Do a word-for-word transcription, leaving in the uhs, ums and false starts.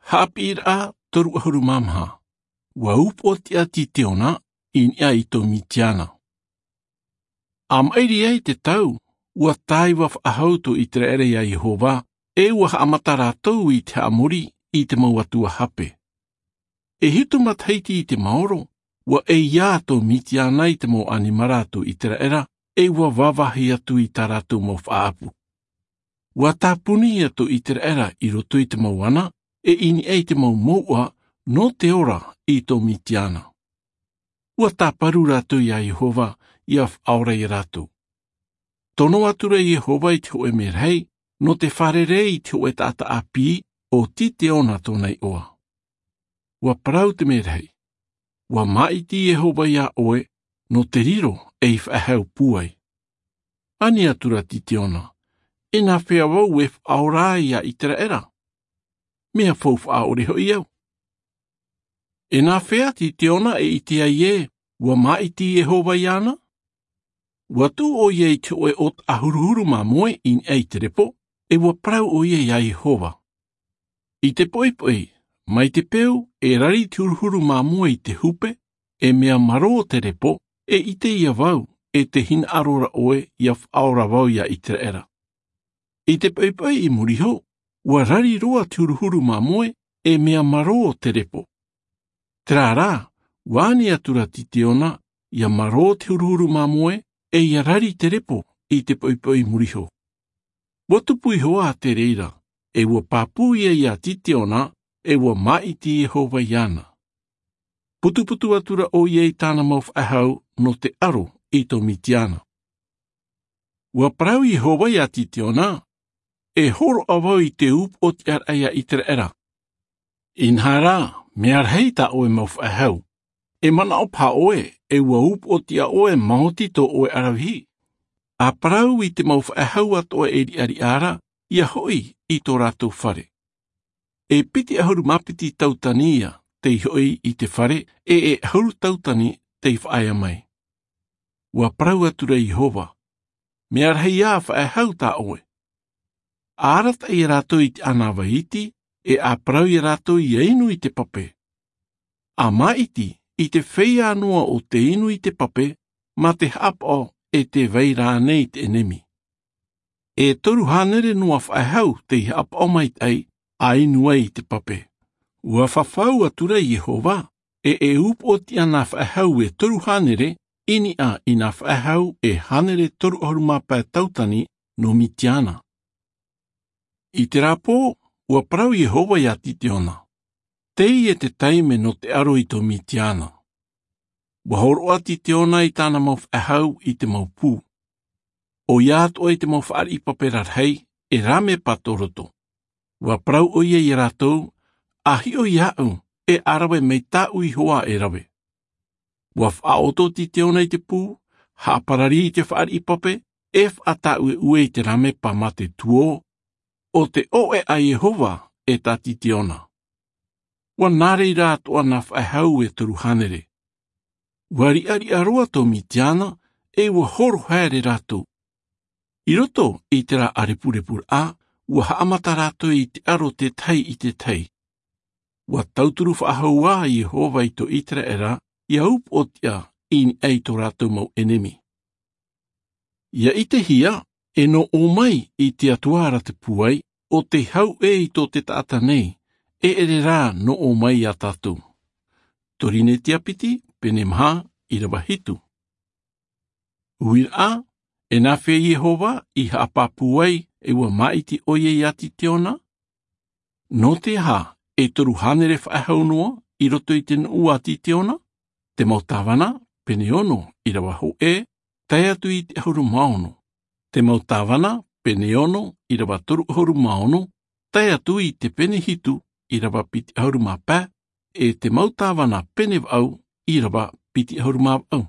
Haʻapiʻiraʻa toru ʻahuru mā maha. Ua upoʻotiʻa Titeona i niʻa i tō Mitiana. A maʻiri ai te tau, ua tāiva faʻahou tō Iteraera iā Iehova, e ua haʻamata rātou i te haʻamori i te mau atua hape. E hitu matahiti i te maoro, ua ʻeiā tō Mitiana i te mau ʻanimara a tō Iteraera, e ua vāvāhi atu i tā rātou mau faʻaʻapu. Ua tāpuni ia tō Iteraera i roto i te mau ana, e i niʻa i te mau mouʻa nō te ora i tō Mitiana. Ua tāparu rātou iā Iehova, ʻia faʻaora iā rātou. Tono atura Iehova i te hōʻē merahi, nō te fārerei i te hōʻē taʻata ʻāpī, ʻo Titeona tōna iʻoa. Ua parau te merahi. Ua māʻiti Iehova iā ʻoe, nō te riro ei faʻehau pūai. Ani atura Titeona, e nāfea vau e faʻaora ai iā Iteraera? Mea faufaʻa ʻore hoʻi au. E nāfea Titeona e ʻite ai ē, ua māʻiti Iehova iāna? Ua tuʻu ʻoia i te hōʻē ʻōtaʻa huruhuru māmoe i niʻa i te repo, e ua parau ʻoia iā Iehova. I te poʻipoʻi, mai te peu, e rari te huruhuru māmoe i te hupe, e mea marō te repo, e ʻite ïa vau, e tē hinaʻaro ra ʻoe ʻia faʻaora vau iā Iteraera. I te poʻipoʻi i muri iho, ua rari roa te huruhuru māmoe, e mea marō te repo. Terā rā, ua ani atura Titeona, ʻia marō te huruhuru māmoe, e ʻia rari te repo i te poʻipoʻi i muri iho. Ua tupu iho ā te reira, e ua pāpū ïa iā Titeona, e ua māʻiti Iehova iāna. Putuputu atura ʻoia i tāna mau faʻehau nō te aro i tō Mitiana. Ua parau Iehova iā Titeona, e hōroʻa vau i te upoʻotiʻaraʻa iā Iteraera. Inaha rā, mea rahi tā ʻoe mau faʻehau. E manaʻo paha ʻoe, e ua upoʻotiʻa ʻoe maoti tō ʻoe ʻaravihi. ʻA parau i te mau faʻehau atoʻa e riʻariʻa ra, ʻia hoʻi i tō rātou fare. E piti ʻahuru mā piti tautani ïa tei hoʻi i te fare, e e ʻahuru tautani tei faʻaea mai. Ua parau atura Iehova, mea rahi ā faʻehau tā ʻoe. ʻA arataʻi ia rātou i te ʻānāvai iti, e ʻa parau ia rātou ʻia inu i te pape. ʻA māʻiti i te feiā noa o te inu i te pape, mā te haʻapaʻo e tē vai ra ānei te ʻenemi. E toru hānere noa faʻehau tei haʻapaʻo maitaʻi, ʻa inu ai i te pape. Ua fafau atura Iehova, e e upoʻotiʻa nā faʻehau e toru hānere, i niʻa i nā faʻehau e hānere toru ʻahuru mā pae tautani nō Mitiana. I terā pō, ua parau Iehova iā Titeona. Teie te taime nō te aro i tō Mitiana. Ua hōroʻa Titeona i tāna mau faʻehau i te mau pū. ʻOia atoʻa i te mau fāriʻi pape rarahi, e rāmepa tō roto. Ua parau ʻoia ia rātou, ʻa hiʻo iāʻu, e ʻa rave mai tāʻu iho ā e rave. Ua faʻaʻoto Titeona i te pū, haʻaparari i te fāriʻi pape, e faʻatāʻueʻue i te rāmepa mā te tuō, ʻo te ʻoʻe a Iehova e tā Titeona. Ua nā reira atoʻa nā faʻehau e toru hānere. Ua riʻariʻa roa tō Mitiana, e ua horo haere rātou. I roto i terā ʻārepurepuraʻa, ua haʻamata rātou i te aro tētahi i tētahi. Ua tauturu faʻahou ā Iehova i tō Iteraera, ʻia upoʻotiʻa i niʻa i tō rātou mau ʻenemi. ʻIa ʻitehia, e nō ʻō mai i te Atua ra te pūai, ʻo tei hau ʻē i tō te taʻata nei, e ʻere rā nō ʻō mai iā tātou. Torinetia piti, pene maha, ʻīrava hitu. Uiraʻa, e nāfea Iehova i haʻapāpū ai, e ua māʻiti ʻoia iā Titeona? Nō te aha e toru hānere faʻehau noa i roto i te nuʻu a Titeona? Te mau tāvana, pene ono, ʻīrava hōʻē, tae atu i te ʻahuru mā ono. Te mau tāvana, pene ono, ʻīrava toru ʻahuru mā ono, tae atu i te pene hitu, ʻīrava piti ʻahuru mā pae, e te mau tāvana pene vaʻu, ʻīrava piti ʻahuru mā vaʻu.